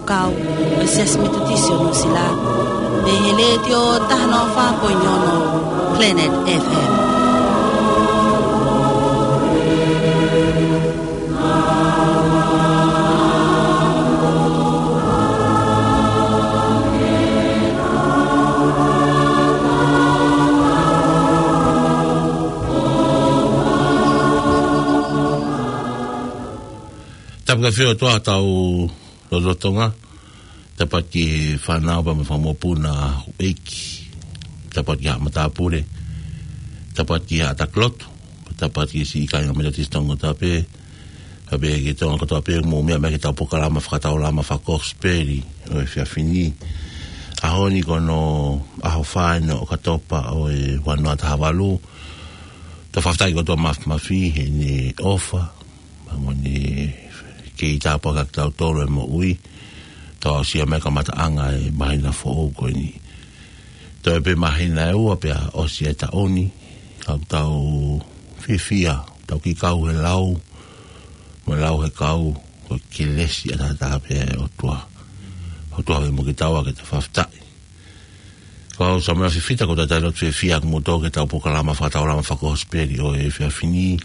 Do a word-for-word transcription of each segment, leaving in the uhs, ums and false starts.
Kau, ʻo e Siasi Metotisi ʻo Nuʻusila, mei he Letiō taha noa fā poini ono Planet F M. Tapu ki he ʻOtua ʻetau lotolotonga. Tapu ki he fānau pea mo e fanga mokopuna ʻeiki. Tapu ki he matāpule. Tapu ki he ʻātakilotu. Tapu ki he siʻi kāinga Metotisi Tonga kotoa pē. Pea pehē ki he Tonga kotoa pē ʻoku mou meʻa mai ki heʻetau polokalama fakataulama fakakosipeli ʻo e efiafi ni. ʻAho ni ko hono ʻaho fā eni ʻo ʻOkatopa ʻo e ua noa taha valu. Tau fakafetaʻi kotoa mafimafi heʻene ʻofa. Pea mo ʻene kei tāpuakiʻi kitautolu ʻi he moʻui. Tau aʻusia mai e kamataʻanga e māhina foʻou ko eni. Toe pē māhina ʻe ua pea ʻosi e taʻu ni. Ka ʻoku tau fiefia, tau kiʻi kau he lau, mo e lau he kau, ko e kelesi ʻataʻatā pē ʻa e ʻOtua. ʻOtua pē mo kitaua ke tau fakafetaʻi. Ko au Samuela Fifita, ko e talitali lotu fiefia ʻaʻaku mo kimoutolu ki heʻetau polokalama fakataulama fakakosipeli ʻo e efiafi ni.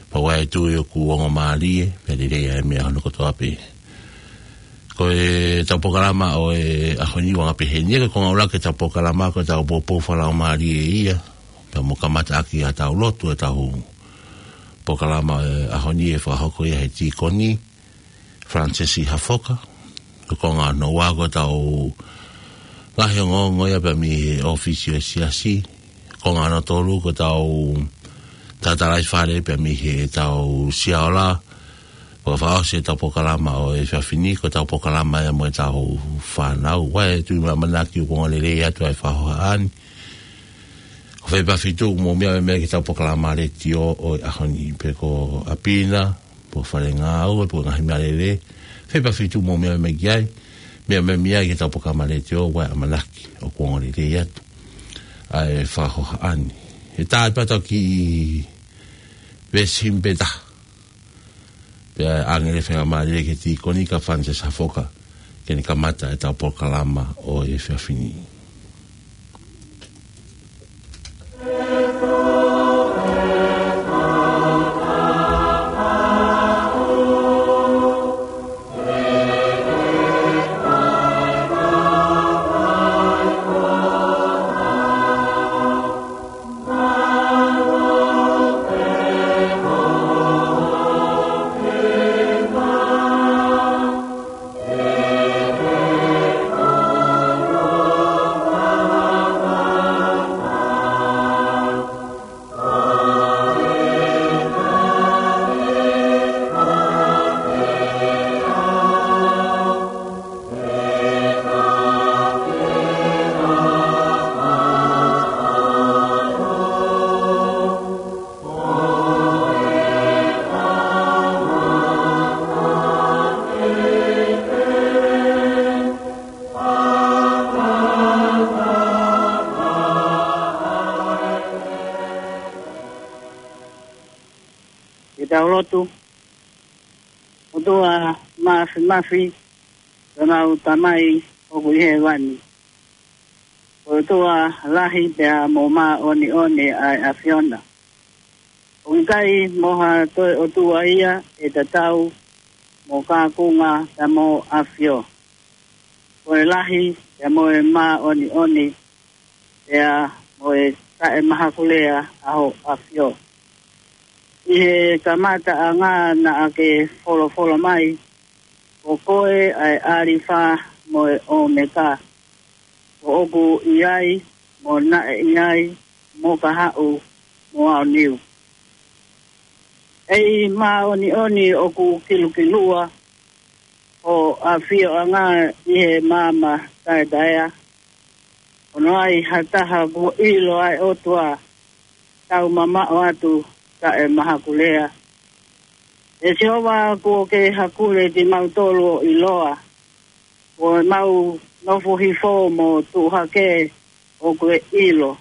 Pea ʻoku ou tui ʻoku ongo mālie, pea lelei ʻa e meʻa hono kotoa pē. Ko ʻetau polokalama ʻo e ʻaho ni ʻoku anga pehē ni, ko e konga ʻuluaki ʻetau polokalama ko ʻetau poupou fakalaumālie ia. Pea mo kamataʻaki ʻetau lotu ʻetau polokalama ʻo e ʻaho ni ʻe fakahoko ia ʻe he tīkoni Francis Hafoka. Ko e konga hono ua ko ʻetau ngaahi ongoongo ia pea mei he ʻōfisi ʻo e siasi. Konga hono tolu ko ʻetau tatalaifale pea mei heʻetau siaola. Pea fakaʻosi ʻetau polokalama ʻo e efiafi ni ko ʻetau polokalama ia mo ʻetau fānau. ʻOku ou tui mo ʻamanaki ʻoku ongo lelei atu ʻa e fakahohaʻa ni. Ko fē pē ʻa e feituʻu ʻoku mou meʻa mai ai ki heʻetau polokalama letiō ʻo e ʻaho ni, pe ko ʻapi na, pe ko e fale ngāue, pe ko e ngaahi meʻalele, fē pē ʻa e feituʻu ʻoku mou meʻa mai ai ki ai, meʻa mai ai ki heʻetau polokalama letiō, ʻoku ou ʻamanaki ʻoku ongo lelei atu ʻa e fakahohaʻa ni. ʻE tā atu pē ʻetau kiʻi veesi himi pē taha. Pea ʻoange e faingamālie ki he tīkoni ko Francis Hafoka, ke ne kamata ʻetau polokalama ʻo e efiafi ni. Ke tau lotu. ʻOtua Māfimafi, ko ʻemau Tamai ʻoku ʻi hēvani. Ko e ʻOtua lahi pea mo māʻoniʻoni ʻa e ʻAfiona. ʻOku ʻikai mo ha toe ʻOtua ia ʻe tatau mo Kakunga pea mo ʻAfio. Ko e lahi pea mo e māʻoniʻoni pea mo e taʻemahakulea ʻa ho ʻAfio. ʻI he kamataʻanga naʻa ke folofola mai, ko koe ʻa e ʻAlifa mo e ʻOmeka, ko ʻoku ʻi ai, mo naʻe ʻi ai, mo ka haʻu, mo aoniu. ʻEiki māʻoniʻoni, ʻoku kilukilua ho ʻafioʻanga ʻi he maama taʻetaʻeʻaonga. ʻOku ʻi ai ha taha kuo ʻilo ʻa e ʻOtua, tau mamaʻo atu taʻemahakulea. ʻE Sihova, kuo ke hakule kimautolu ʻo ʻiloa, ko ʻemau nofo hifo mo tuʻu hake ʻoku ke ʻilo,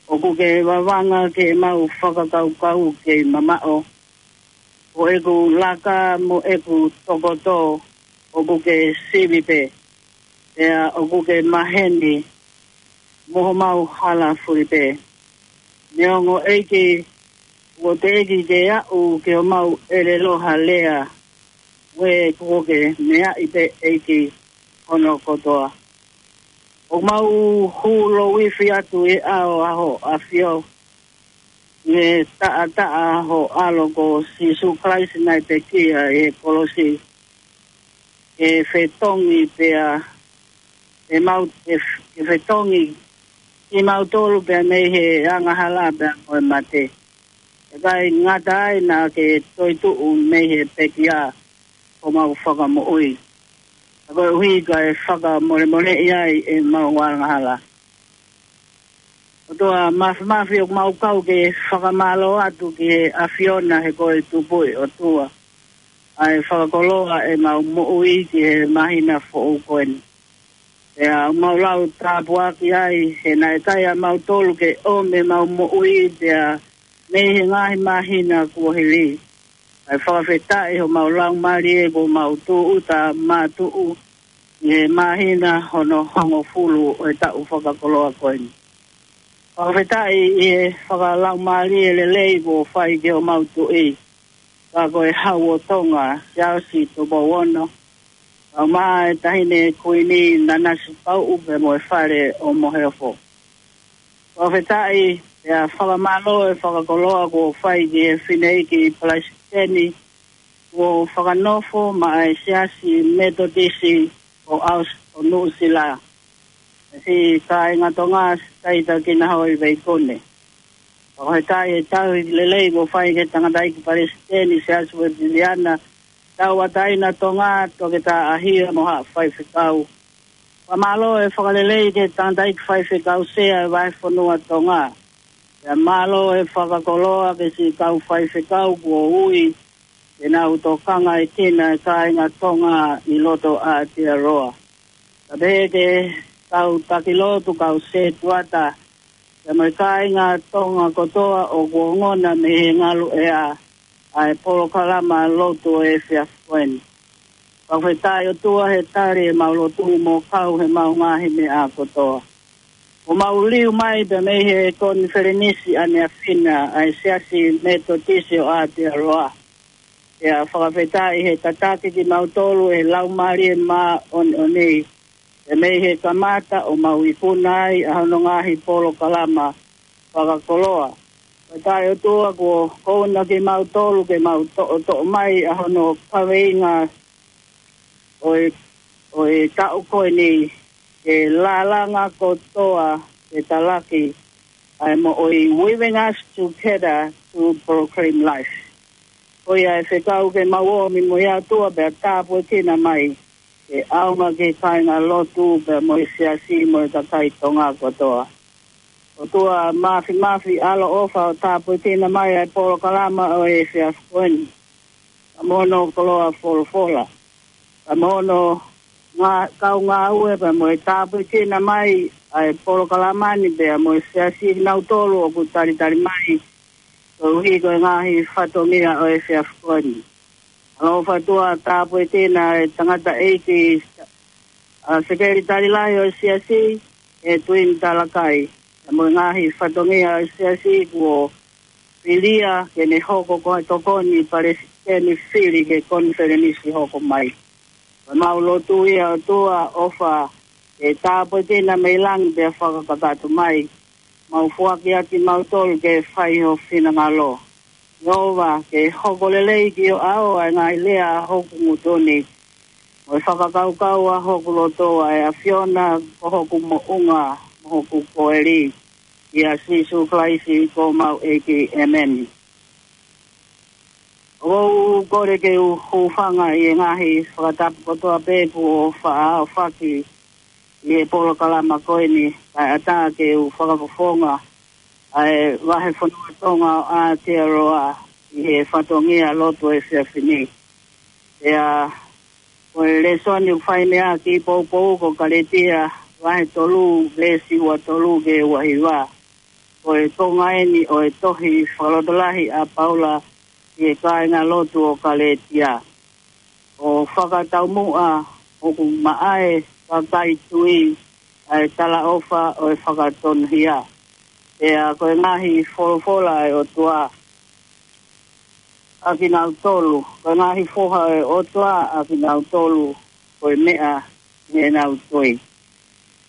ʻoku ke vavanga ki heʻemau fakakaukau kei mamaʻo. ʻeku laka mo ʻeku tokoto ʻoku ke sivi pē, pea ʻoku ke maheni mo homau hala fuli pē. Neongo ʻEiki, kuo teʻeki ke aʻu ki homau ʻelelo ha lea, ʻoku ke meaʻi pē ʻEiki hono kotoa. ʻOku mau hū loifi atu ʻi he ʻao ʻa ho ʻAfio, ʻi he taʻataʻa ho ʻAlo ko Sīsū Kalaisi naʻe pekia ʻi he kolosi, ke fetongi pea, ke mau, ke, ke fetongi kimautolu pea mei he angahala pea mo e mate. ʻIkai ngata ai naʻa ke toetuʻu mei he pekia ko homau fakamoʻui. Ka koeʻuhi kae fakamolemoleʻi ai ʻemau angahala. ʻOtua Māfimafi, ʻoku mau kau ke fakamālō atu ki he ʻAfiona he ko e Tupuʻi ʻOtua, ʻa e fakakoloa ʻemau moʻui ki he māhina foʻou ko eni. Pea ʻoku mau lau tāpuaki ai, he naʻe ʻikai ʻa mautolu ke ʻomi ʻemau moʻui pea mei he ngaahi māhina kuo hili. Kae fakafetaʻi homau laumālie kuo mau tūʻuta mātuʻu ʻi he māhina hono hongofulu ʻo e taʻu fakakoloa ko eni. Fakafetaʻi ʻi he fakalaumālie lelei kuo fai ki homau tuʻi, ka ko e Hau ʻo Tonga, Siaosi Tupou Ono, kae ʻumaʻā e Taʻahine Kuini Nanasipauʻu pea mo e Fale ʻo Moheofo. Fakafetaʻi pea fakamālō e fakakoloa kuo fai ki he Fineʻeiki Palesiteni kuo fakanofo maʻa e Siasi Metotisi ʻo ʻAosi ʻo Nuʻusila, ʻa e kāinga Tonga, Taita Kinahoi Veikone. Fakafetaʻi e tauhi lelei kuo fai ki he Tangataʻeiki Palesiteni Siasi Uēsiliana Tauʻatāina Tonga, Toketā ʻAhia mo Haʻa Faifekau. Fakamālō e fakalelei ki he Tangataʻeiki Faifekau Sea e Vahefonua Tonga. Pea mālō e fakakoloa ki he siʻi kau faifekau kuo ui ke nau tokangaʻi e kāinga Tonga ʻi loto Aotearoa. Kae pehē ki he kau taki lotu, kau setuata, pea mo e kāinga Tonga kotoa ʻoku ongona mei he ngalu ʻea ʻa e polokalama lotu ʻo e efiafi ko eni. Fakafetaʻi ʻOtua he tali ʻemau lotu mo kau heʻemau ngaahi meʻa kotoa. ʻOku mau liu mai pea mei he konifelenisi ʻaneafi na ʻa e Siasi Metotisi ʻo Aotearoa. Pea fakafetaʻi he tataki kimautolu ʻe he Laumālie Māʻoniʻoni, pea mei he kamata ʻo mau ikuna ai ʻa hono ngaahi polokalama fakakoloa. Fakafetaʻi ʻOtua kuo kouna kimautolu ke mau toʻotoʻo mai ʻa hono kaveinga ʻo e, ʻo e taʻu ko eni, ke lālanga kotoa ke talaki ʻa e moʻui, weaving us together to proclaim life. Ko ia e fekau ke mau ō mai mo ia ʻOtua pea tāpuekina mai ke ʻaonga ki he kāinga lotu pea mo e siasi mo e kakai Tonga kotoa. ʻOtua Māfimafi, ʻaloʻofa ʻo tāpuekina mai ʻa e polokalama ʻo e efiafi ko eni. Ka mo hono koloa folofola, ka mo hono ngā-, kau ngāue pea mo e tāpuekina mai ʻa e polokalama ni pea mo e siasi kinautolu ʻoku talitali mai koeʻuhi ko e ngaahi fatongia ʻo e efiafi ko eni. ʻAloʻofa ʻOtua, tāpuekina e tangataʻeiki, ʻa e sekelitali lahi ʻo e siasi, ʻe Tuini Talakai, pea mo e ngaahi fatongia ʻo e siasi kuo filia ke ne hoko ko e tokoni palesiteni fili ki he konifelenisi hoko mai. Ko ʻemau lotu ia ʻOtua, ʻofa ke tāpuekina mei langi pea fakakakato mai. Mau foaki atu kimautolu ke fai ho finangalo. Sihova, ke hoko lelei ki ho ʻao ʻa e ngaahi lea ʻa hoku ngutu ni, mo e fakakaukau ʻa hoku loto, ʻa e ʻAfiona ko hoku moʻunga mo hoku koeli, ʻia Sīsū Kalaisi ko homau ʻEiki, ʻēmeni. ʻOku ou kole ke u hūfanga ʻi he ngaahi fakatapu kotoa pē kuo faʻa aofaki ʻi he polokalama ko eni, kae ʻatā ke u fakafofonga ʻa e Vahefonua Tonga ʻo Aotearoa ʻi he fatongia lotu efiafi ni. Pea ko e lēsoni ʻoku fai mei he Kiʻi Poupou ko Kalētia vahe tolu, veesi ua tolu ki he ua hiva. Ko e konga eni ʻo e tohi fakalotolahi ʻa Paula ʻi he kāingalotu ʻo Kalētia. ʻO fakataumuʻa ʻoku maʻa e kakai tui ʻa e talaʻofa ʻo e fakatonuhia. Pea ko e ngaahi folofola ʻa e ʻOtua ʻa kinautolu, ko e ngaahi foha ʻo e ʻOtua ʻa kinautolu, ko e meʻa ʻi heʻenau tui.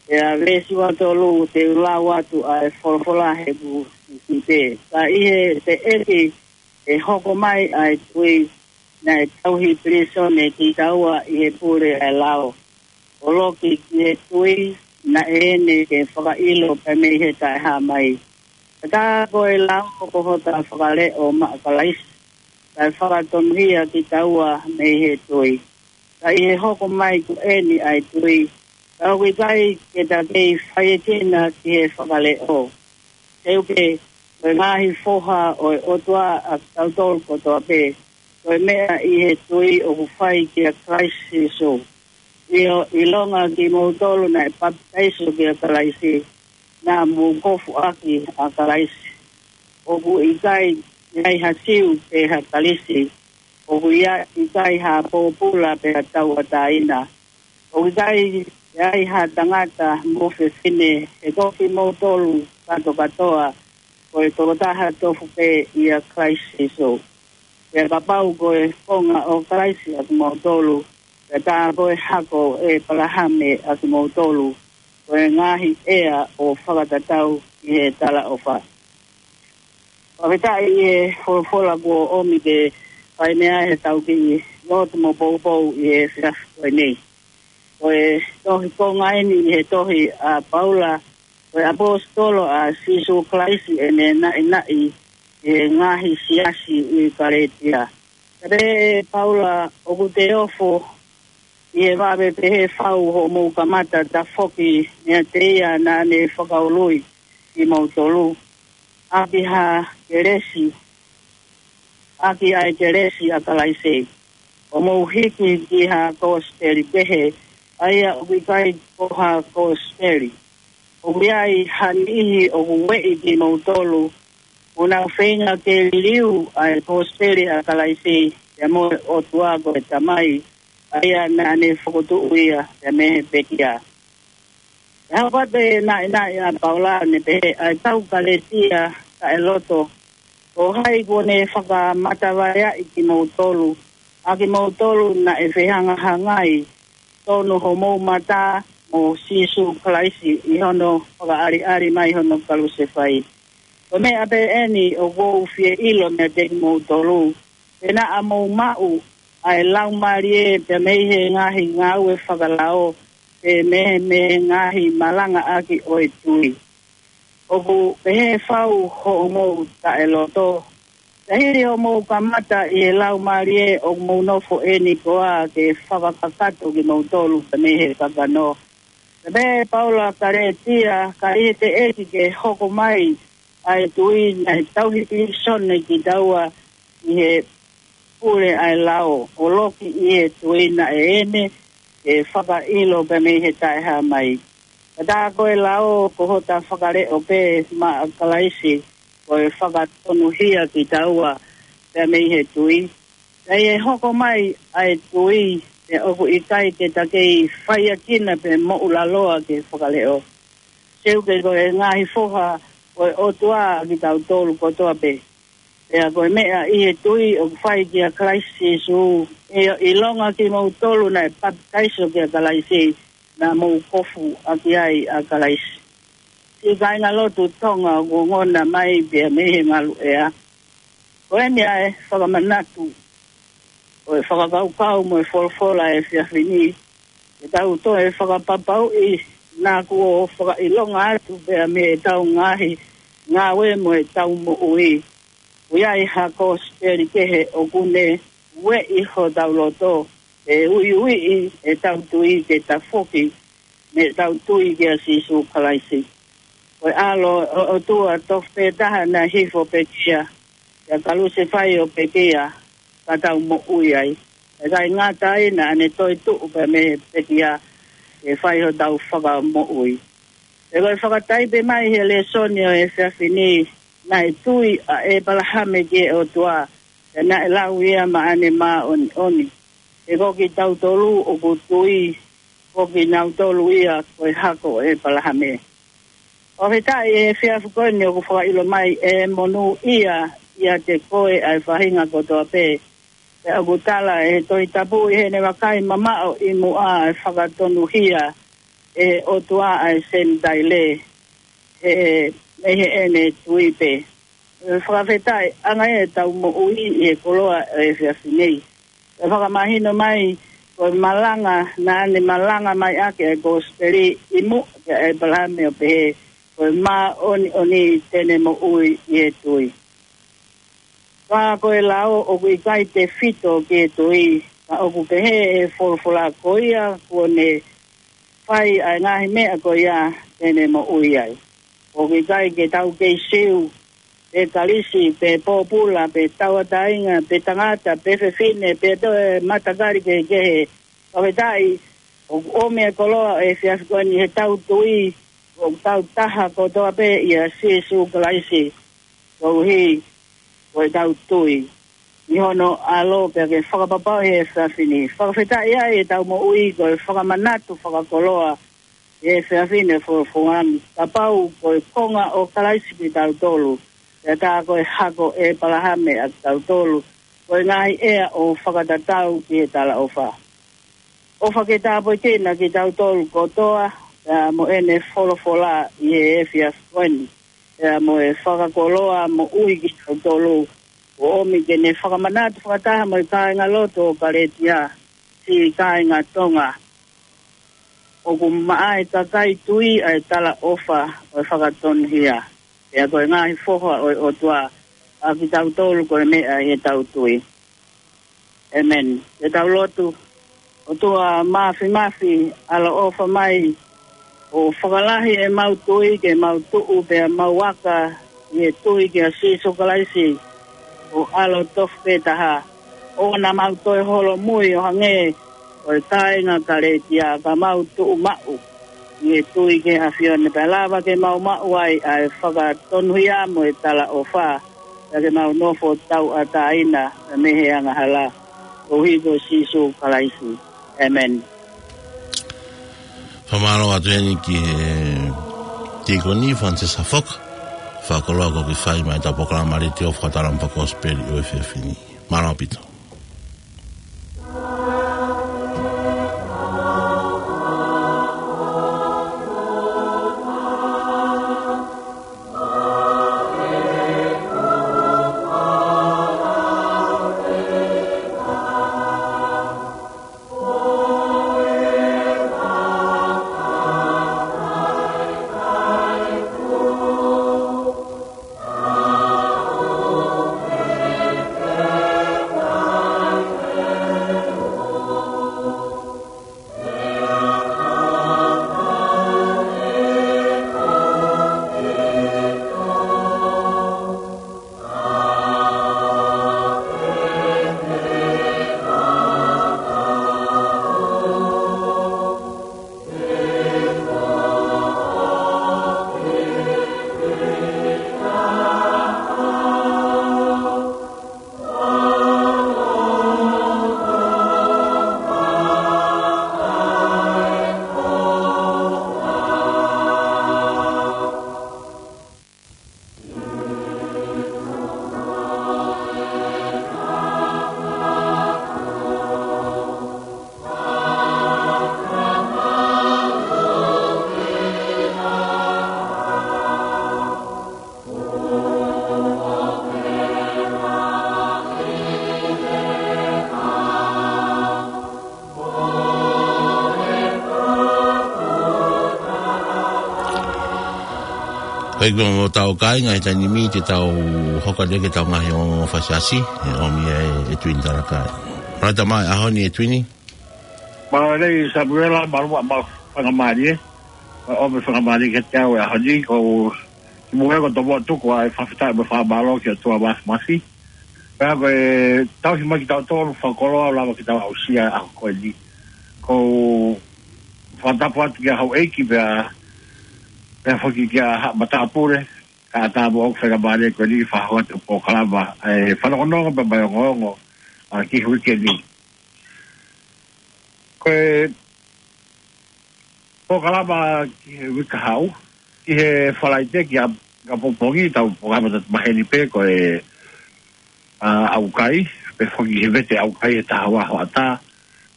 Pea veesi ua tolu te u lau atu ʻa e folofola he kusi pē. Ka ʻi he teʻeki ke hoko mai ʻa e tui, naʻe tauhi pilīsone kitaua ʻi he pule ʻa e lao. ʻO loki ki he tui, naʻe ʻene ke fakaʻilo pē mei he taʻehāmai. Ka tā ko e lao ko hota fakaleʻo maʻa Kalaisi, kae fakatonuhia kitaua mei he tui. Ka ʻi he hoko mai ko eni ʻa e tui, ka ʻoku ʻikai ke ta kei faiekina ki he fakaleʻo. Seuke, ko e ngaahi foha ʻo e ʻOtua ʻa kitautolu kotoa pē, ko e meʻa ʻi he tui ʻoku fai kia Kalaisi Sīsū. ʻIo, ʻilonga kimoutolu naʻe papitaiso kia Kalaisi, naʻa mou kofu ʻaki ʻa Kalaisi. ʻOku ʻikai ʻi ai ha Siu pe ha Kalisi, ʻoku ʻi ai, ʻikai ha pōpula pe ha tauʻatāina. ʻOku ʻikai ʻi ai ha tangata mo fefine, he ko kimoutolu kātokātoa, ko e tokotaha tofu pē ʻia Kalaisi Sīsū. Pea kapau ko e konga ʻo Kalaisi ʻa kimoutolu, pea tā ko e hako ʻo ʻĒpalahame ʻa kimoutolu, ko e ngaahi ʻea ʻo fakatatau ʻi he talaʻofa. Fakafetaʻi ʻi he folofola kuo ʻomi ke fai mei ai ʻetau kiʻi lotu mo poupou ʻi he efiafi ko eni. Ko e tohi konga eni ʻi he tohi ʻa Paula, ko e ʻaposetolo ʻa Sīsū Kalaisi ʻene naʻinaʻi ʻi he ngaahi siasi ʻi Kalētia. Ka pehē ʻe Paula, ʻoku te ofo ʻi he vave pehē fau hoʻomou kamata tafoki meiate ia naʻa ne fakaului kimoutolu ʻaki ha kelesi, ʻaki ʻa e kelesi ʻa Kalaisi, ʻo mou hiki ki ha kosipeli kehe, ʻa ia ʻoku ʻikai ko ha kosipeli. ʻOku ʻi ai ha niʻihi ʻoku ueʻi kimoutolu, ʻoku nau feinga ke liliu ʻa e kosipeli ʻa Kalaisi, pea mo e ʻOtua ko e Tamai, ʻa ia naʻa ne fokotuʻu ia pea mei he pekia. ʻE hau pē naʻinaʻi ʻa Paula ʻo ne pehē, ʻa e kau Kalētia taʻeloto, ko hai kuo ne fakamatavaʻi kimoutolu, ʻa kimoutolu naʻe fehangahangai tonu homou mata mo Sīsū Kalaisi ʻi hono fakaʻaliʻali mai hono kalusefai. Ko e meʻa pē eni ʻoku ou fie ʻilo meiate kimoutolu, pe naʻa mou maʻu ʻa e Laumālie pea mei he ngaahi ngāue fakalao, pe mei he, mei he ngaahi malangaʻaki ʻo e tui. ʻOku pehē fau hoʻomou taʻeloto, ka hili hoʻomou kamata ʻi he Laumālie ʻoku mou nofo eni koā ke fakakakato kimoutolu pea mei he kakano. Pea pehē ʻe Paula, Kalētia, ka ʻi he teʻeki ke hoko mai ʻa e tui, naʻe tauhi pilīsone kitaua ʻi he pule ʻa e lao, ʻo loki ʻi he tui, naʻe ʻene ke fakaʻilo pea mei he taʻehāmai. Ka tā ko e lao ko hota fakaleʻo pē maʻa Kalaisi, ko e fakatonuhia kitaua pea mei he tui. Ka ʻi he hoko mai ʻa e tui, pea ʻoku ʻikai ke ta kei faiekina pe moʻulaloa ki he fakaleʻo. Seuke, ko e ngaahi foha ʻo e ʻOtua ʻa kitautolu kotoa pē. Pea ko e meʻa ʻi he tui ʻoku fai kia Kalaisi Sīsū, ʻio, ʻilonga kimoutolu naʻe papitaiso kia Kalaisi, naʻa mou kofu ʻaki ai ʻa Kalaisi. Siʻi kāingalotu Tonga ʻoku ongona mai pea mei he ngaluʻea. Ko eni ʻa e fakamanatu ʻo e fakakaukau mo e folofola ʻo e efiafi ni, ke tau toe fakapapauʻi naʻa kuo fakaʻilonga atu pea mei heʻetau ngaahi ngāue mo ʻetau moʻui, ʻoku ʻi ai ha kosipeli kehe ʻoku ne ueʻi hotau loto, ʻe uiuiʻi ʻetau tui ke tafoki mei heʻetau tui kia Sīsū Kalaisi. Ko e ʻAlo ʻo e ʻOtua tofu pē taha naʻe hifo pekia, pea kalusefai ʻo pekia, ka tau moʻui ai. ʻIkai ngata ai, naʻa ne toetuʻu pē mei he pekia ke fai hotau fakamoʻui. Pea ko e fakataipe mai he lēsoni ʻo e efiafi ni, naʻe tui ʻa ʻĒpalahame ki he ʻOtua, Pea naʻe lau ia maʻane māʻoniʻoni. He ko kitautolu ʻoku tui, ko kinautolu ia ko e hako ʻo ʻEpalahame. ʻOku fakafetaʻi he efiafi ko eni ʻoku fakaʻilo mai ʻe monūʻia ʻiate koe ʻa e faʻahinga kotoa pē. Pea ʻoku tala ʻe he Tohi Tapu ʻi heʻene vakai mamaʻo ʻi muʻa ʻe fakatonuhia ʻe he ʻOtua ʻa e Senitaile, he, mei heʻene tui pē. ʻE fakafetaʻi ʻanga ʻetau moʻui ʻi he koloa ʻo e efiafi ni. ʻE fakamahino mai, ko e malanga, naʻa ne malanga mai ʻaki e kosipeli ʻi muʻa kia ʻEpalahame ʻo pehē, ko e māʻoniʻoni te ne moʻui ʻi he tui. Ka ko e lao ʻoku ʻikai tefito ki he tui, ka ʻoku pehē ʻe he folofola ko ia kuo ne fai ʻa e ngaahi meʻa ko ia te ne moʻui ai. ʻOku ʻikai ke tau kei Siu, pe Kalisi, pe pōpula, pe tauʻatāina, pe tangata, pe fefine, pe toe matakali kehekehe. Fakafetaʻi, ʻoku ʻomi e koloa ʻo e efiafi ko eni he tau tui, ʻoku tau taha kotoa pē ʻia Sīsū Kalaisi. Koeʻuhi, ko e tau tui ʻi hono ʻAlo pea ke fakapapauʻi he efiafi ni. Fakafetaʻi ai ʻetau moʻui ko e fakamanatu fakakoloa he efiafi ni folofola ni. Kapau ko e konga ʻo Kalaisi kitautolu, pea tā ko e hako ʻo ʻEpalahame ʻa kitautolu, ko e ngaahi ʻea ʻo fakatatau ki he talaʻofa. ʻOfa ke tāpuekina kitautolu kotoa, pea mo ʻene folofola ʻi he efiafi ko eni. Pea mo e fakakoloa moʻui kitautolu, ʻo ʻomi ke ne fakamanatu fakataha mo e kāingalotu ʻo Kaletia, siʻi kāinga Tonga. ʻOku maʻa e kakai tui ʻa e talaʻofa ʻo e fakatonuhia. Pea ko e ngaahi foha ʻo e ʻOtua ʻa kitautolu ko e meʻa ʻi he tau tui. ʻĒmeni. Ke tau lotu. ʻOtua Māfimafi, ʻaloʻofa mai, ʻo fakalahi ʻemau tui ke mau tuʻu pea mau aka ʻi he tui kia Sīsū Kalaisi, ʻo ʻAlo tofu pē taha. ʻOua naʻa mau toe holomui ʻo hangē ko e kāinga Kaletia, ka mau tuʻu maʻu ʻi he tui ki he ʻAfiona, pea lava ke mau maʻu ai ʻa e fakatonuhia mo e talaʻofa, pea ke mau nofo tauʻatāina mei he angahala, koeʻuhi ko Sīsū Kalaisi. ʻĒmeni. Fakamālō atu heni ki he Tīkoni Fānitesa Foka, fakakoloa kuo ke fai mai ʻetau polokalama letiō Fakatalanga Fakakosipeli ʻo e efiafi ni. Mālō ʻaupito. Hei, ko ʻetau kāinga he taimi ni te tau hoko atu ki heʻetau ngaahi ongoongo fakaʻosi, ʻe ʻomi ʻe, ʻe Tuini Talakai. Mālō e tamai, ʻaho ni ʻe Tuini. Mālō e Samuela, mālō e faingamālie. Mālō e faingamālie ke tau ʻi he ʻaho ni, ko e moʻui ko e tomuʻa tuku ʻa e fakafetaʻi mo e fakamālō ki he ʻOtua Māfimafi. Pea ko e tauhi mai kitautolu fakakoloa ʻo lava ke tau aʻusia e ʻaho ko eni. Ko e fakatapu atu kia Houʻeiki pea, pea foki kia Haʻa Matāpule. Kae ʻatā mo ʻeku faingamālie ko eni ke fakahoko atu e polokalama, ʻa e fanongonongo pea mo e ongoongo, ʻa, ki he uike ni. Ko e polokalama ki he uike kahaʻu, ki he Falaite ki ʻapongipongi, tau polokalama atu maheni pē ko e, ʻa, ʻaukai, pea foki he vete ʻaukai he taha ua hoʻatā,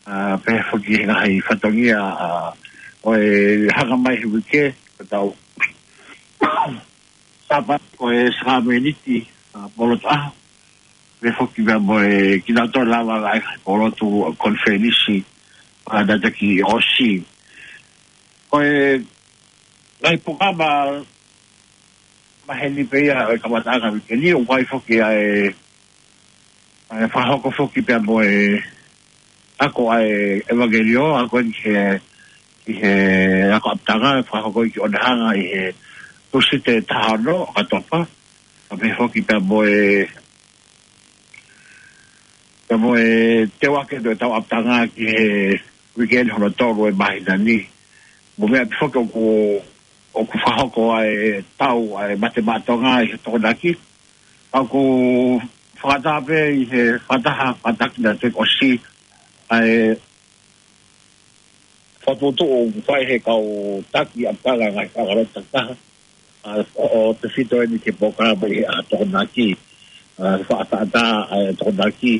ʻa, pea foki he ngaahi fatongia, ʻa, ʻo e hanga mai he uike, ko ʻetau Sāpate ko e Sākameniti, ʻa, polotu ʻaho. Pea foki pea mo e kinautolu lava ʻa e polotu, ʻa, konifelenisi, ʻa, naʻe toki ʻosi. Ko e ngaahi polokalama maheni pē ia ʻo e kamataʻanga uike ni, ʻoku ʻi ai foki ʻa e, ʻa e fakahoko foki pea mo e ako ʻa e ʻevangeliō, ako eni ki he, ki he ako ʻapitanga, fakahoko ʻi Onehunga ʻi he Tūsite taha ono ʻo ʻOkatopa, pea foki pea mo e, pea mo e teuaki ʻo e tau ʻapitanga ki he uike ni hono tolu ʻo e māhina ni. Mo e meʻa pē foki ʻoku, ʻoku fakahoko ʻa e tau ʻa e Mate Maʻa Tonga ʻi he Tokonaki. ʻOku fakataha pē ʻi he fakataha, fakataha naʻe toki ʻosi ʻa e fakatuʻutuʻu ʻoku fai he kau taki ʻapitanga ngaahi faʻahinga lotu takitaha, ʻa, ʻo, ʻoku tefito eni ki he polokalama ʻi he ʻaho Tokonaki, ʻa, faʻa taʻataʻa ʻa e Tokonaki,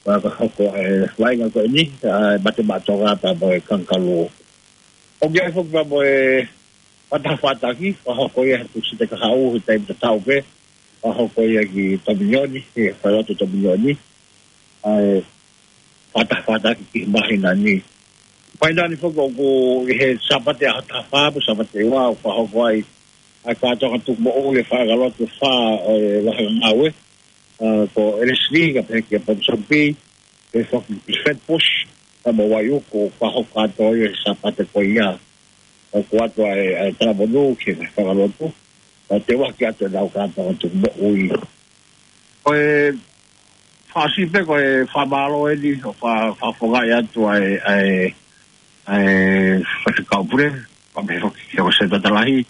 ʻa, ka hoko ʻa e vaʻinga ko eni, ʻa, Mate Maʻa Tonga pea mo e Kangakalū. ʻOku ʻi ai foki pea mo e fakataha fataki, fakahoko ia he Tūsite kahaʻu he taimi tatau pē, fakahoko ia ki Tominioni, he falelotu Tominioni, ʻa e fakataha fataki ki he māhina ni. Māhina ni foki ʻoku ʻi he Sāpate ʻaho taha fā, pea Sāpate ua, ʻoku fakahoko ai ʻa e kātoanga tukumoʻui ʻa e faʻahinga lotu ʻe fā ʻo e vahevahe ngāue, ʻa, ko Elesini, kae pehē kia Ponsonby, pea foki ki Flatbush, pea mo Waiuku, ʻoku fakahoko kātoa ia he Sāpate ko ia. ʻOku ʻoatu ʻa e, ʻa e talamonū ki he faʻahinga lotu, ʻo teuaki atu ʻenau kātoanga tukumoʻui. Ko e fakaʻosi pē ko e fakamālō eni, ʻo fa-, fakafofongaʻi atu ʻa e, ʻa e, ʻa e faifekau pule, pea pehē foki kia Sētuata Lahi.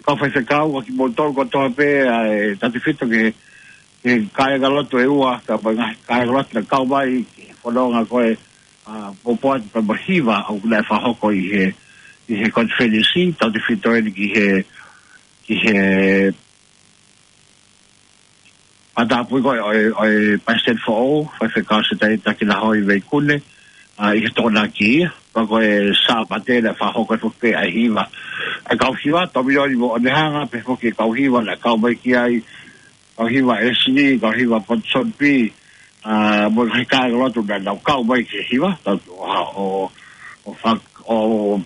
Kau faifekau, ʻa kimoutolu kotoa pē, ʻa e tautefito ki he, ki he kāingalotu ʻe ua, ka ʻi ai ngaahi kāingalotu naʻe kau mai ki he fononga ko ē, ʻa, poupou atu pea mo e hiva, ʻoku naʻe fakahoko ʻi he, ʻi he konifelenisi, tautefito eni ki he, ki he matāpui ko ē ʻo e, ʻo e Palesiteni foʻou, Faifekau Setaita Kilahoi Veikune, ʻa, ʻi he Tokonaki ia, pea ko e Sāpate naʻe fakahoko ai foki ʻa e hiva. ʻA e kau hiva, Tominioni mo Onehunga, pea foki e kau hiva naʻe kau mai ki ai, kau hiva Elesini, kau hiva Ponsonby, ʻa, mo e ngaahi kāingalotu naʻa nau kau mai ki he hiva, tau, ʻo, ʻo, ʻo fak-, ʻo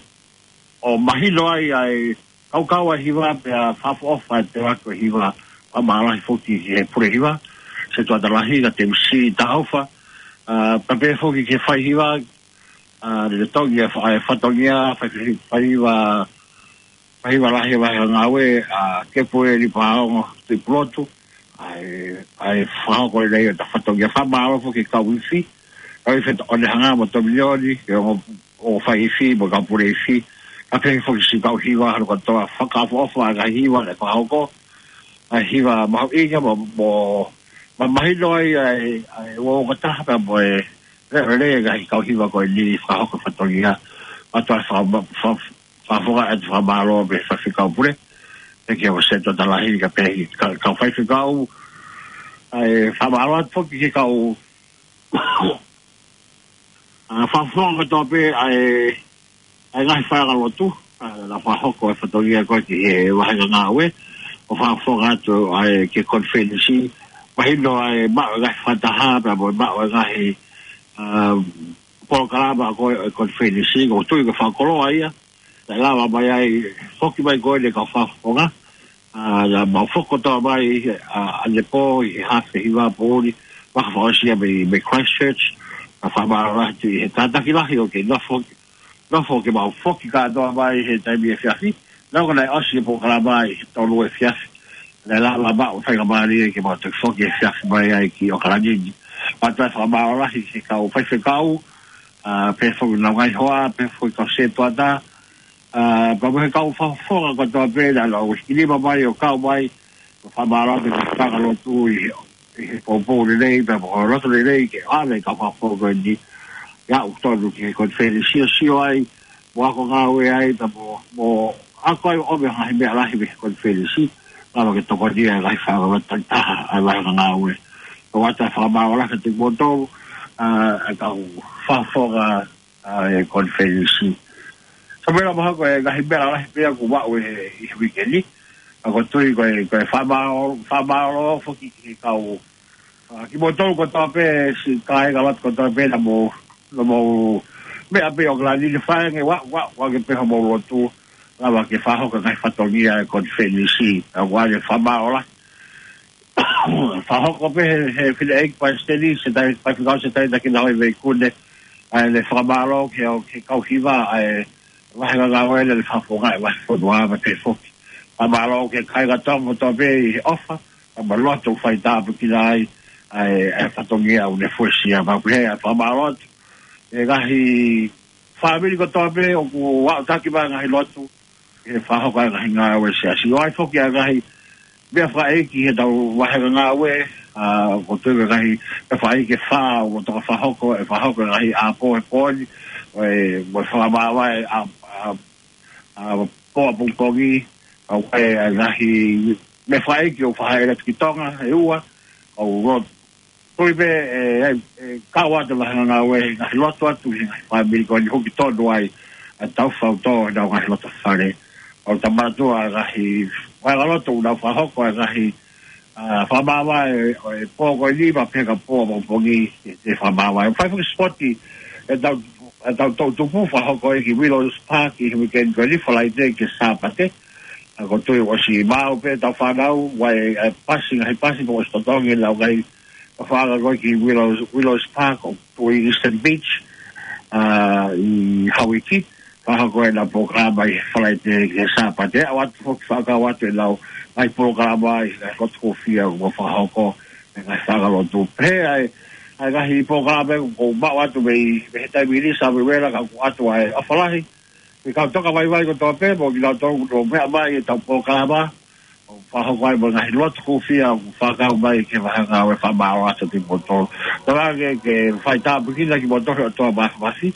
ʻo mahino ai ʻa e kaukau ʻa e hiva pea fakaʻofoʻofa ʻa e teuaki ʻo e hiva, pea mālō lahi foki ki he pule hiva, Sētuata Lahi, ka Temisi Tahofa, ʻa, pea pehē foki ki he faihiva, ʻa, lolotonga e fa-, e fatongia, fai, faihiva, faihiva lahi ʻa e vahevahe ngāue, ʻa, Kepueli Paongo Tuʻipulotu, ʻa e, ʻa e fakahoko ʻeni ʻo e fatongia, fakamālō foki ki he kau ifi, kau ifi ʻo Onehunga mo Tominioni, ke ongo ʻo fai ifi, mo e kau pule ifi, kae pehē foki siʻi kau hiva, hano kotoa, fakaʻofoʻofa ʻa e ngaahi hiva naʻe fakahoko, ʻa e hiva mahuʻinga, mo, mo, ma-, mahino ai, ʻa e, ʻa e, ua o kataha pea mo e, lelei, lelei e ngaahi kau hiva ko eni fakahoko fatongia, ʻa e toe faka-, fa-, fakafofongaʻi atu e fakamālō mei he faifekau pule, pehē kia Sētuata Lahi, kae pehē ki he ka-, kau faifekau, ʻa e fakamālō atu foki ki he kau ʻA, fakafofonga kotoa pē ʻa e, ʻa e ngaahi faʻahinga lotu, ʻa, naʻe fakahoko e fatongia ko ē ki he vahevahe ngāue, ʻo fakafofonga atu ʻa e ki he konifelenisi, mahino ʻa e maʻu e ngaahi fakataha, pea mo e maʻu e ngaahi, ʻa, polokalama ko ē ʻo e konifelenisi, ʻoku ou tui ko e fakakoloa ia, naʻe lava mai ai, foki mai ko ē ʻa e kau fakafofonga, ʻa, naʻa mau foki kotoa mai, ʻa, ʻanepō ʻi he haafe hiva poʻuli, fakaʻosi ia mei, mei Christchurch, ʻa, fakamālō lahi atu ʻi he kātaki lahi ʻoku kei nofo, nofo ke mau foki kātoa mai he taimi efiafi, naʻa ko ē naʻe ʻosi e polokalama ʻi he tolu efiafi, naʻe lava maʻu faingamālie ke mau toe foki efiafi mai ai ki ʻAokalani ni. Mau toe fakamālō lahi ki he kau faifekau, ʻa, pehē foki nau ngaahi hoa, pehē foki kau sētuata, ʻa, pea mo e kau fakafofonga kotoa pē, naʻa nau hiki nima mai ʻo kau mai, Ko e fakamālō atu ki he kau lotu ʻi he, ʻi he poupou lelei, pea mo e loto lelei ke ʻave e kau fakafofonga ko eni ʻo aʻu tonu ki he konifelenisi ʻo sio ai, mo ako ngāue ai, pea mo, mo ako ai ʻo ʻomai ha ngaahi meʻa lahi mei he konifelenisi, lava ke tokoniʻi e ngaahi faʻahinga takitaha ʻa e ngaahi ngāue. Ko ia ʻoku ou fakamālō lahi atu kiate kimoutolu, ʻa, ʻa e kau fakafofonga ʻa e konifelenisi. Samuela, mahalo ko e ngaahi meʻa lahi pē ia kuo maʻu ʻi he, ʻi he uike ni. ʻOku ou tui ko e, ko e fakamālō, fakamālō foki ki he kau, ʻa, kimoutolu kotoa pē, siʻi kāinga lotu kotoa pē naʻa mou, naʻa mou meʻa pē ʻo kalani le faenge wa, wa, wa ke pē homou lotu, lava ke fakahoko e ngaahi fatongia ʻa e konifelenisi. ʻOku ou fakamālō lahi. Fakahoko pē he, he fineʻeiki palesiteni, Setai, Faifekau Setai Takina Hoivei Kune, ʻa e fakamālō ki he, ki he kau hiva ʻa e vahenga ngāue ʻa e fakafofonga ʻa e vahefonua mo e pehē foki. Fakamālō ki he kāinga Tonga kotoa pē ʻi he ʻofa, pea mo e loto ʻoku faitāpuekina ai ʻa e, ʻa e fatongia ʻoku ne fuesia. Pea ʻoku ou fakamālō atu ki he ngaahi fāmili kotoa pē ʻoku aʻutaki mai e ngaahi lotu, ke fakahoko e ngaahi ngāue ʻa e siasi. ʻOku ʻi ai foki e ngaahi meʻa fakaʻeiki ʻi heʻetau vahenga ngāue, ʻa, ʻoku ou tui ko e ngaahi meʻa fakaʻeiki ʻe fā ʻoku toka fakahoko, ʻe fakahoko e ngaahi ʻapi he pō ni, ʻo e, mo e fakamāvae ʻa, ʻa, ʻa, pō ʻapongipongi, ʻa, ʻo e, ʻa e ngaahi meʻa fakaʻeiki ʻoku fakahā atu ki Tonga, ʻe ua, ʻoku ou lotu tui pē, ʻe, ʻe, ʻe kau atu e vahenga ngāue, ngaahi lotu atu ki he ngaahi fāmili ko eni ʻoku hoko tonu ai ʻa e tau fau tō, ʻenau ngaahi loto fale. ʻOku ou tui ʻe ʻi ai e ngaahi vahenga lotu ʻoku nau fakahoko e ngaahi, ʻa, fakamāvae ʻo e pō ko eni, pea pehē ki he pō ʻapongipongi, ʻe, ʻe fakamāvae. Fai foki e sipoti ʻetau, ʻetau toʻutupu, fakahoko ia ki Willows Park ʻi he weekend ko eni, Falaite ki he Sāpate. ʻOku ou tui ʻosi maʻu pē ʻetau fānau, ʻa e, ʻa e pasi, ngaahi pasi, pea ʻosi totongi ʻenau ngaahi, ʻa, fānau ko ē ki Willows, Willows Park ʻo tuʻu ʻi Eastern Beach, ʻa, ʻi Hauiki, fakahoko ʻenau polokalama ʻi he Falaite ki he Sāpate. ʻOatu foki, fakakau atu ʻenau ngaahi polokalama ʻi he ngaahi lotu hūfia ʻoku fakahoko ʻe he ngaahi fānau lotu. Pea ʻi ai, ʻi ai e ngaahi polokalama ʻoku maʻu atu mei, mei he taimi ni, Samuela, ka ʻoku ʻoatu ai e ʻofa lahi ki he kau tokavaivai kotoa pē, mo kinautolu ʻoku nau meʻa mai ʻi heʻetau polokalama, ʻo fakahoko ai mo e ngaahi lotu hūfia ʻoku fakakau mai ki he vahenga ngāue. Fakamālō atu kiate kimoutolu. Tala ke, ke faitāpuekina kimoutolu ʻe he ʻOtua Māfimafi,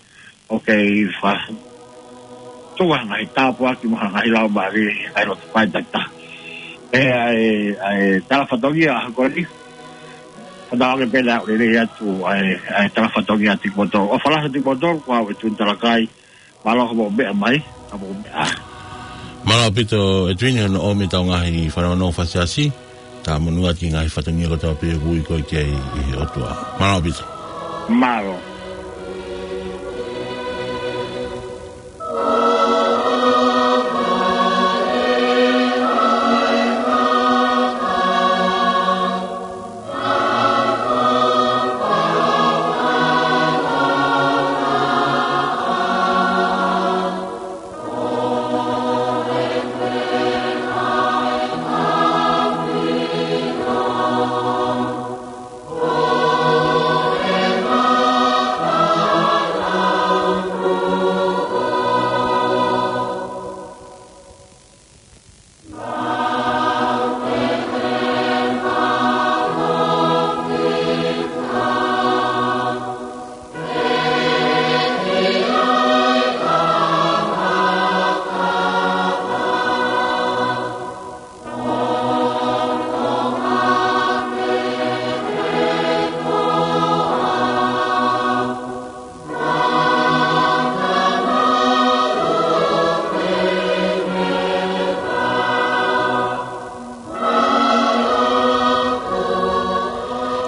ʻo kei fa-, tuku ha ngaahi tāpuaki mo ha ngaahi laumālie ʻi he ngaahi lotu fai takitaha. ʻE, ʻa e, ʻa e tala fatongia ʻo e ʻaho ko eni, fanongo pē naʻa ku lelei atu, ʻa e, ʻa e tala fatongia atu kiate kimoutolu. ʻOfa lahi atu kiate kimoutolu, ko au ʻEtuini Talakai, mālō hoʻomou meʻa mai, ka mou meʻa ā. Mālō ʻaupito ʻEtuini hono ʻomi ʻetau ngaahi fanongo fakaʻosi, ka monū atu ki he ngaahi fatongia kotoa pē ʻoku ui koe ki ai ʻe he ʻOtua. Mālō ʻaupito. Mālō.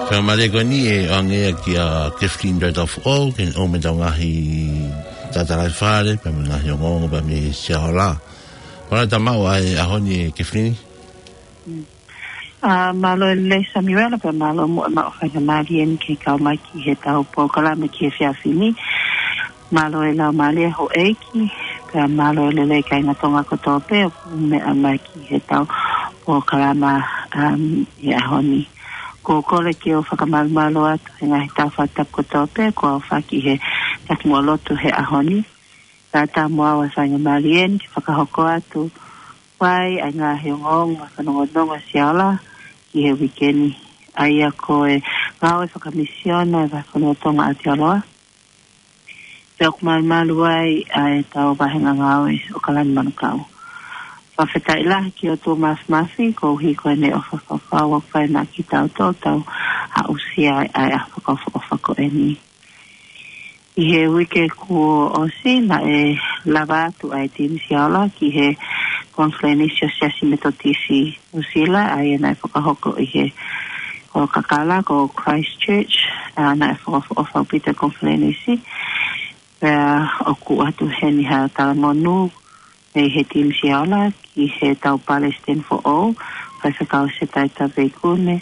Ka mālie ko eni ʻe ʻoange ia kia Kefilini Tautau Foʻou, ke ne ʻomi ʻetau ngaahi tala fale, pea mo e ngaahi ongoongo, pea mo e siaola. Mālō e tau maʻu ʻa e ʻaho ni ʻe Kefilini. Mm. ʻA, mālō e lelei Samuela, pea mālō muʻa e maʻu faingamālie ni ke kau mai ki heʻetau polokalama ki he efiafi ni. Mālō e laumālie houʻeiki, pea mālō e lelei kāinga Tonga kotoa pē ʻoku meʻa mai ki heʻetau polokalama, um, ʻi he ʻaho ni. ʻOku ou kole ke u fakamalumalu atu he ngaahi tau fakatapu kotoa pē kuo aofaki he taki mo lotu he ʻaho ni. Ka ʻatā mo au e faingamālie ni ke fakahoko atu Fai ʻa e ngaahi ongoongo fanongonongo Siaola ki he uike ni. ʻA ia ko e ngāue fakamisiona ʻa e Vahefonua Tonga ʻAotearoa. Pea ʻoku malumalu ai ʻa e tau vahenga ngāue ʻo Kalani Manukau. Fakafetaʻi lahi ki he ʻOtua Mafimafi, koeʻuhi ko ʻene ʻofa fakafaua ʻoku fai maʻa kitautolu ʻo tau aʻusia ʻa e ʻaho fakaʻofoʻofa ko eni. ʻI he uike kuo ʻosi naʻe lava atu ʻa e timi Siaola ki he Konifelenisi ʻo e Siasi Metotisi Nuʻusila, ʻa ia naʻe fakahoko ʻi he kolokakala ko Christchurch, ʻa, naʻe fakaʻofoʻofa ʻaupito e konifelenisi. Pea ʻoku ʻoatu heni ha talamonū mei he timi Siaola ki he tau palesiteni foʻou, Faifekau Setai Taveikune.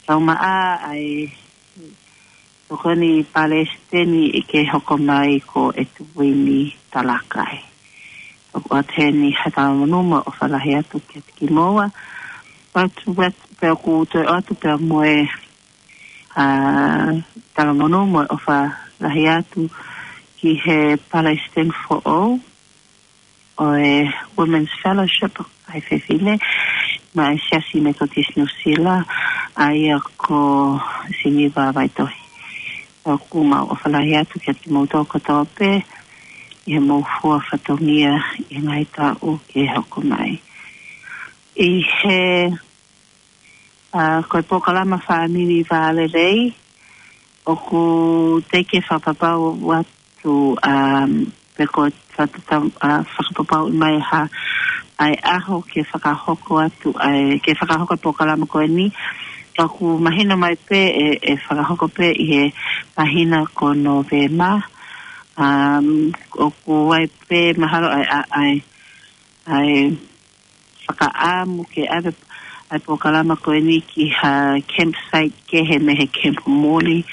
Tau maʻa ʻa e tokoni palesiteni ʻi he hoko mai ko ʻEtuini Talakai. ʻOku ʻoatu heni ha talamonū mo e ʻofa lahi atu kiate kimoua. Pea ʻoku, pea ʻoku toe ʻoatu pea mo e, ʻa, talamonū mo e ʻofa lahi atu ki he palesiteni foʻou ʻo e Women's Fellowship ʻa e fefine maʻa e Siasi Metotisi Nuʻusila, ʻa ia ko Siniva Vaitohi. ʻOku mau ʻofa lahi atu kiate kimoutolu kotoa pē ʻi he mou fua fatongia ʻi he ngaahi taʻu ke hoko mai. ʻI he, ʻa, ko e polokalama Fāmili Vālelei, ʻoku teʻeki ke fakapapau atu, um, pe ko e fata-, ʻa, fakapapauʻi mai ha, ʻa e ʻaho ke fakahoko atu, ʻa e, ke fakahoko e polokalama ko eni. ʻOku mahino mai pē ʻe, ʻe fakahoko pē ʻi he māhina ko Nōvema. Um, ʻoku ʻi ai pē mahalo ʻa e, ʻa e, ʻa e, ʻa e fakaʻamu ke ʻave ʻa e polokalama ko eni ki ha campsite kehe mei he Camp Morley,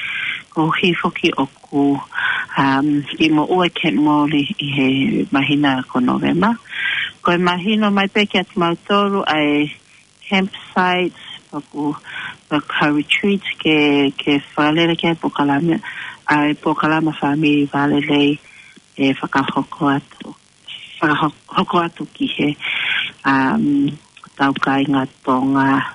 koeʻuhi foki ʻoku, um, kiʻi moʻua e Camp Morley ʻi he māhina ko Nōvema. Ko e mahino mai pē kiate kimautolu ʻa e campsite, ʻoku, ʻoku ha retreat ke, ke fakalele ki ai e polokalama, ʻa e polokalama Fāmili Vālelei ʻe fakahoko atu, fakahoko atu ki he, um, tau kāinga Tonga.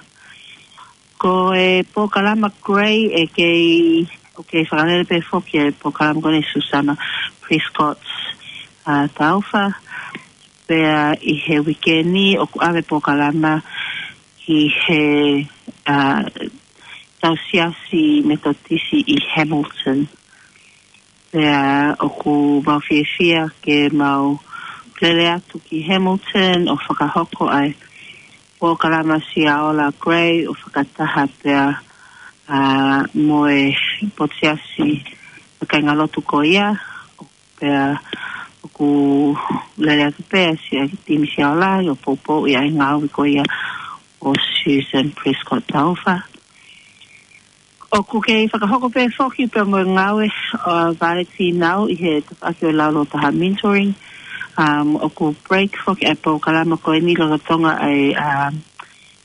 Ko e polokalama Grey ʻe kei, ʻoku kei fakalele pē foki e polokalama ko eni ʻe Susana Prescott, ʻa, Taufa. Pea ʻi he uike ni ʻoku ʻave e polokalama ki he, ʻa, tau Siasi Metotisi ʻi Hamilton. Pea ʻoku mau fiefia ke mau lele atu ki Hamilton ʻo fakahoko ʻa e polokalama Siaola Grey ʻo fakataha pea, ʻa, mo e potu siasi ʻa e kāingalotu ko ia. Pea ʻoku lele atu pē ʻa e Siasi, timi Siaola ʻo poupouʻi ʻa e ngāue ko ia ʻo Susan Prescott Taufa. ʻOku kei fakahoko pē foki pea mo e ngāue ʻa e Vale Fīnau ʻi he tafaʻaki ʻo e Laulau Taha Mentoring. Um, ʻoku break foki ʻa e polokalama ko eni lolotonga ʻa e, um,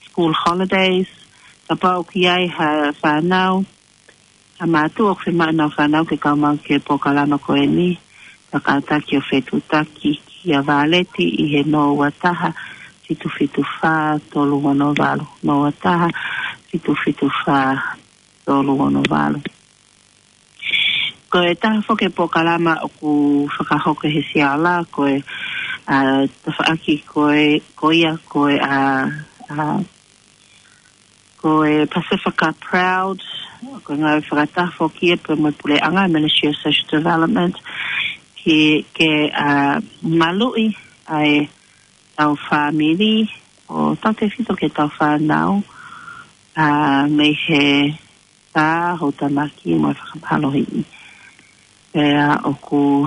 school holidays. Kapau ʻoku ʻi ai ha fānau, ha mātuʻa ʻoku fiemaʻu ʻenau fānau ke kau mai ki he polokalama ko eni, kātaki ʻo fetuʻutaki kia Valeti ʻi he noa ua taha, fitu fitu fā, tolu ono valu, noa ua taha, fitu fitu fā, tolu ono valu. Ko e taha foki e polokalama ʻoku fakahoko ʻe he Siaola, ko e, ʻa, tafaʻaki ko e, ko ia, ko e, ʻa, ʻa, ko e Pasifika Proud, ko e ngāue fakataha foki ia pea mo e puleʻanga, Ministry of Social Development, ki, ke, ʻa, maluʻi ʻa e tau fāmili ʻo tautefito ki he tau fānau, ʻa, mei he tā, houtamaki mo e fakamālohiʻi. Pea ʻoku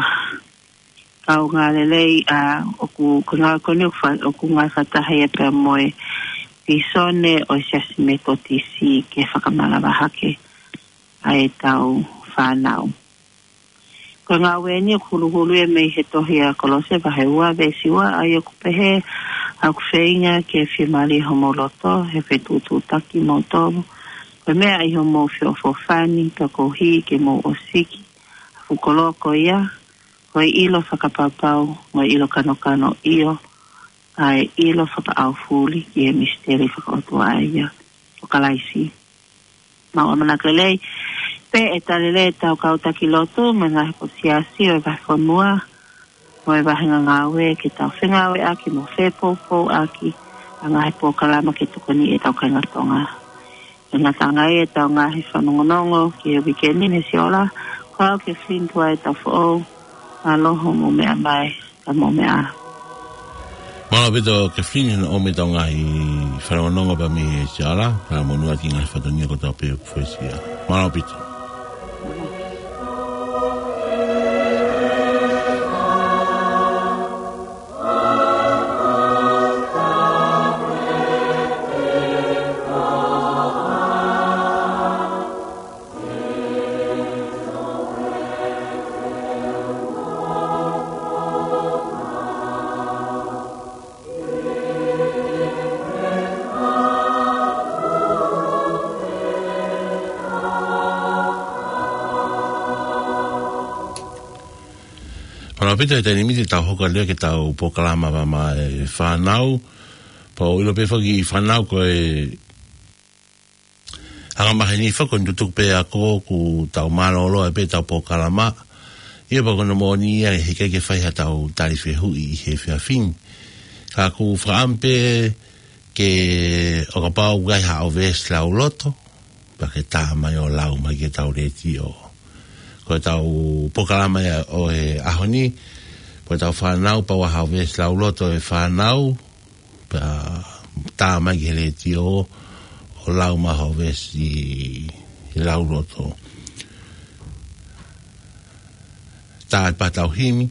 kaungā lelei, ʻa, ʻoku, ko e ngāue ko eni ʻoku fa-, ʻoku ngāue fakataha ia pea mo e vīsone ʻo e Siasi Metotisi ke fakamanavahake ʻa e tau fānau. Ko e ngāue ni ʻoku huluhulu ia mei he tohi ʻa Kolose vahe ua veesi ua, ʻa ia ʻoku pehē, ʻoku feinga ke fiemālie homou loto, he fetuʻutuʻutaki moutolu. Ko e meʻa ʻi homou feʻofoʻofani, pea koeʻuhi ke mou ʻosiki ʻa e fuʻu koloa ko ia, ko e ʻilo fakapaupau, mo e ʻilo kanokano, ʻio, ʻa e ʻilo fakaʻaufuli ki he misiteli fakaʻotua ʻa ia ʻo Kalaisi. Mau ʻamanaki lelei pē ʻe tali lelei ʻetau kau taki lotu mo e ngaahi potu siasi ʻo e vahefonua mo e vahenga ngāue ke tau fengāueʻaki mo fepoupouʻaki ʻa e ngaahi polokalama ke tokoni ʻetau kāinga Tonga. ʻE ngata ange ai ʻetau ngaahi fanongonongo ki he uike ni, Siola, ko au Kathleen Tuʻa ʻetau foʻou, mālō hoʻomou meʻa mai, ka mou meʻa. Mālō ʻaupito Kathleen, hoʻomou meʻa ʻetau ngaahi fanongonongo pea mei he Siola, pea mo e ngaahi fatongia kotoa pē ʻoku foʻisia. Mālō ʻaupito. Mālō ʻaupito, he taimi ni te tau hoko atu leva ki heʻetau polokalama Vā Maʻa e Fānau. Pea ʻoku ʻilo pē foki ʻe he fānau ko e anga maheni foki ʻoku tutuku pē ʻa e ako, ʻoku tau mālōlō ai pē ʻetau polokalama. ʻIo, pea ko hono moʻoni ia he ʻikai ke fai haʻatau tali fehuʻi ʻi he efiafi ni. Ka ʻoku ou fakaʻamu pē ke ʻo kapau ʻoku ʻi ai haʻo veesi lauloto, pea ke tā mai ʻo lau mai ki heʻetau letiō. Ko ʻetau polokalama ia ʻo e ʻaho ni, ko ʻetau fānau, kapau ʻoku ʻi ai haʻo veesi lauloto ʻe fānau, pea tā mai ki he letiō ʻo lau mai haʻo veesi lauloto. Tā atu pē ʻetau himi,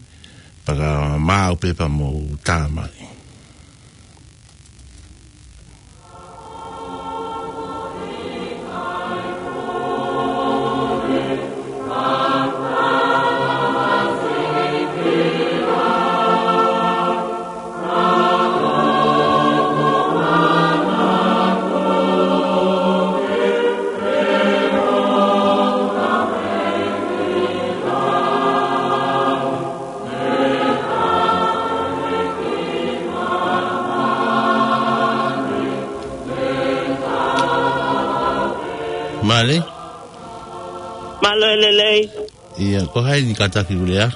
pea ka maau pē pea mou tā mai. Mālō. Mālō e lelei. ʻIo, ko hai ni kātaki ʻoku lea?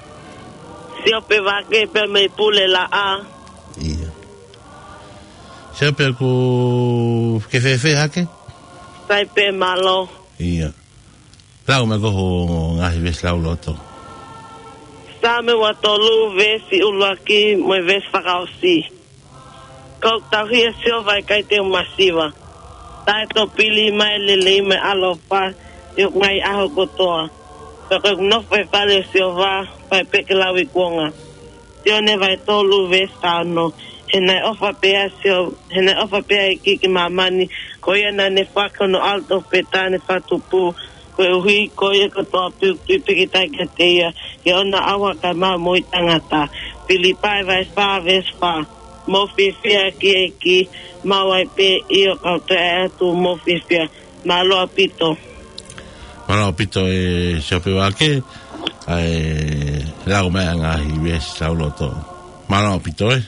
Siope Vake pē mei Pulelaʻa. ʻIo. Siope, ʻoku ke fēfē hake? Sai pē, mālō. ʻIo. Lau mai ko hoʻo ngaahi veesi lauloto. Saame ua tolu, veesi ʻuluaki mo e veesi fakaʻosi. Ko ʻeku tauhi ʻa Sihova, ʻe ʻikai te u masiva. Taʻetoʻo pili mai e lelei mo e ʻaloʻofa ʻi hoku ngaahi ʻaho kotoa. Pea ko ʻeku nofo ʻi he fale ʻo Sihova, fai pē ke lauikuonga. Sione vahe tolu veesi taha ono. He naʻe ʻofa pē ʻa Sio-, he naʻe ʻofa pē ʻa e ʻEiki ki māmani, ko ia naʻa ne foaki hono ʻAlo tofu pē taha ne fakatupu, koeʻuhi ko ia kotoa pē ʻoku tui pīkitai kiate ia, ke ʻoua naʻa ʻauha kae maʻu moʻui taʻengata. Filipai vahe fā veesi fā. Mou fiefia ki he ʻEiki, maʻu ai pē ʻio, kau toe ʻai atu mou fiefia. Mālō ʻaupito. Mālō ʻaupito e Siope Vake, ʻa e lau mai ʻa e ngaahi veesi lauloto. Mālō ʻaupito e.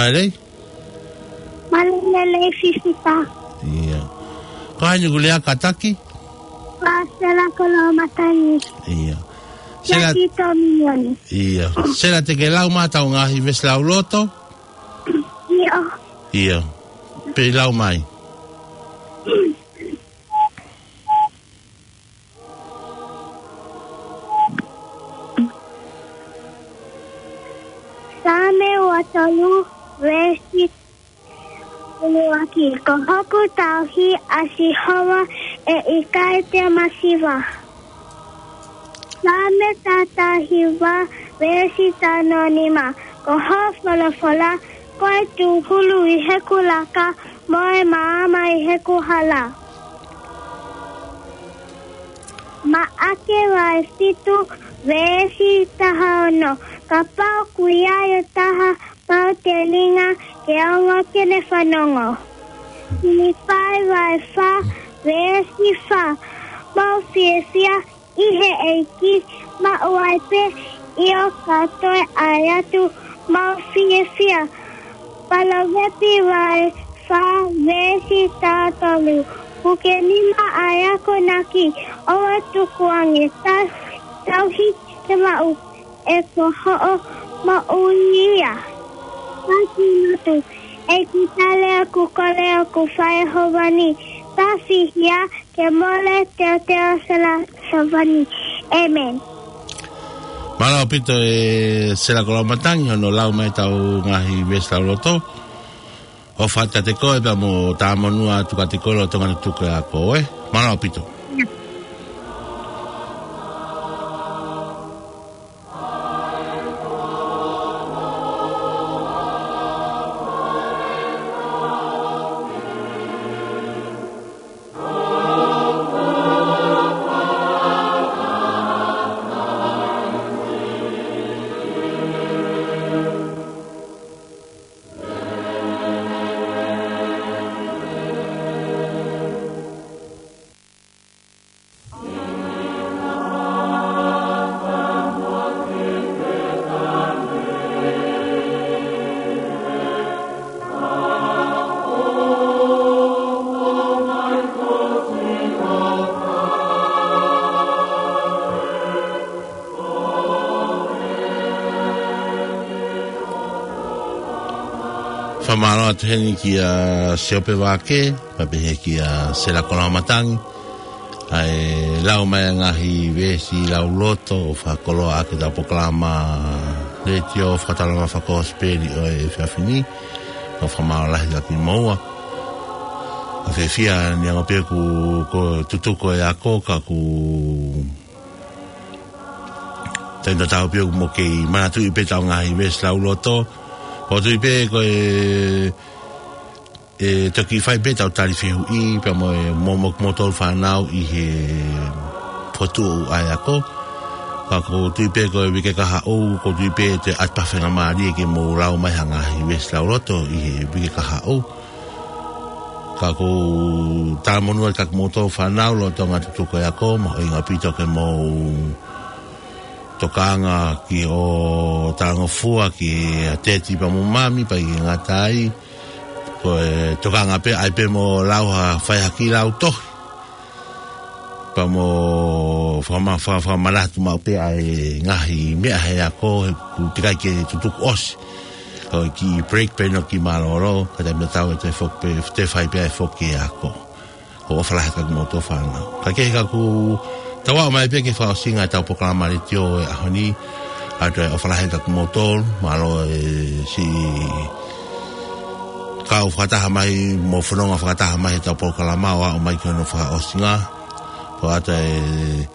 Mālō. Mālō e lelei Fifita. ʻIo. Ko hai ʻoku lea kātaki? Ko Sela Koloamatangi. ʻIo. Sela. Ia ki Tōminioni. ʻIo. Sela, te ke lau mai ʻetau ngaahi veesi lauloto? ʻIo. ʻIo. Pea lau mai. Saame ua tolu, veesi ʻuluaki. Ko hoku tauhi ʻa Sihova, ʻe ʻikai te u masiva. Saame taha taha hiva, veesi taha noa nima. Ko hoʻo folofola ko e tūhulu ʻi heʻeku laka, mo e maama ʻi heʻeku hala. Maʻake vahe fitu, veesi taha ono. Kapau ʻoku ʻi ai ha taha pau telinga, ke ongo ke ne fanongo. Filipai vahe fā, veesi fā. Mou fiefia ʻi he ʻEiki, maʻu ai pē, ʻio, ka toe ʻai atu, mou fiefia. Palōvepi vahe fā, veesi taha tolu. Puke nima ʻa e akonaki, ʻoua ʻe tukuange, tau-, tauhi ke maʻu, he ko hoʻo moʻui ia. Pasi natu, ʻEiki, tale ʻeku kole ʻoku fai ʻe Hēvani, tafihi ia ke mole teuteu Sela Hēvani. ʻĒmeni. Mālō ʻaupito e Sela Koloamatangi hono lau mai ʻetau ngaahi veesi lauloto. ʻOfa atu kiate koe pea mo e tāmonū atu kiate koe lolotonga e tutuku e ako, ē? Mālō ʻaupito. Fakamālō atu heni kia Siope Vake, pea pehē kia Sela Koloamatangi, ʻa e lau mai ʻa e ngaahi veesi lauloto ʻo fakakoloa ʻaki ʻetau polokalama letiō fakatalanoa fakakosipeli ʻo e efiafi ni. Ko e fakamālō lahi atu kimoua. ʻOku ou fiefia, neongo pē ʻoku, ko e tutuku e ako, ka ʻoku taimi tatau pē ʻoku mou kei manatuʻi pē ʻetau ngaahi veesi lauloto. Pea ʻoku ou tui pē ko e, ʻe toki fai pē ʻetau tali fehuʻi pea mo e, mo, mo, moutolu fānau ʻi he fokotuʻu ʻa e ako. Ka ʻoku ou tui pē ko e uike kahaʻu, ʻoku ou tui pē ʻe toe ʻatā faingamālie ke mou lau mai ha ngaahi veesi lauloto ʻi he uike kahaʻu. Ka ʻoku ou talamonū atu kia kimoutolu fānau lolotonga e tutuku e ako, mahuʻinga ʻaupito ke mou tokanga ki hoʻo talangofua kia Teti pea mo Mami, pea ʻikai ngata ai, ko e tokanga pē, ʻai pē mo lau ha, fai ha kiʻi lau tohi. Pea mo fakama-, fa-, fakamanatu maʻu pē ʻa e ngaahi meʻa he ako, he ʻoku teʻeki ai ke tutuku ʻosi. Ko e kiʻi break pē ʻeni ʻo e kiʻi mālōlō, ka taimi tatau ʻe toe foki pē, toe fai pē ʻa e foki e ako. ʻOku ou ʻofa lahi atu kia kimoutolu fānau. Kae kehe, ka ʻoku tau aʻu mai pē ki he fakaʻosinga ʻetau polokalama letiō e ʻaho ni, ʻoatu e ʻofa lahi atu kia kimoutolu, mālō e siʻi kau fakataha mai, mo fononga fakataha mai heʻetau polokalama ʻo aʻu mai ki hono fakaʻosinga. Pea ʻoatu e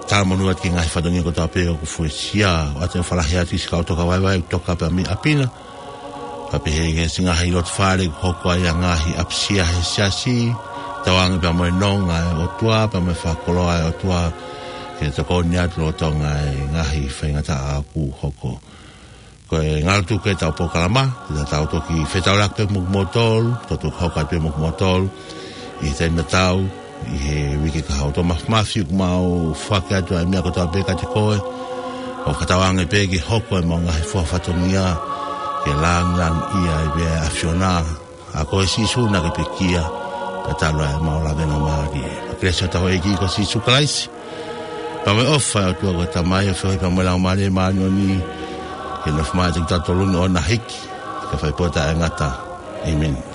talamonū atu ki he ngaahi fatongia kotoa pē ʻoku fuesia, ʻoatu e ʻofa lahi atu ki he siʻi kau toka vaivai, toka pē mei ʻapi na. Pea pehē ki he siʻi ngaahi loto fale ʻoku hoko ai ʻa e ngaahi ʻapisia he siasi, tauange pea mo e nonga ʻa e ʻOtua, pea mo e fakakoloa ʻa e ʻOtua, ke tokoni atu lolotonga e ngaahi faingataʻa ʻoku hoko. Ko e ngalo tuku ʻetau polokalama, te tau toki fetaulaki pē mo kimoutolu, tau toki hoko atu pē mo kimoutolu ʻi he taimi tatau, ʻi he uike kahaʻu. Tau mafimafi ʻoku mau foaki atu ʻa e meʻa kotoa pē kiate koe, ʻo fakatauange pē ke hoko ʻemau ngaahi fua fatongia, ke Ke langilangiʻia ai pē ʻa e ʻAfiona, ʻa ko e Sīsū naʻa ke pekia, pea talu ai ʻemau lavengamālie. Kelesi ʻa hotau ʻEiki ko Sīsū Kalaisi, pea mo e ʻofa ʻa e ʻOtua ko e Tamai, ʻa e feohi pea mo e Laumālie Māʻoniʻoni, ke nofo maʻa kitautolu ni ʻo na hiki, ke fai pē ʻo taʻengata. ʻĒmeni.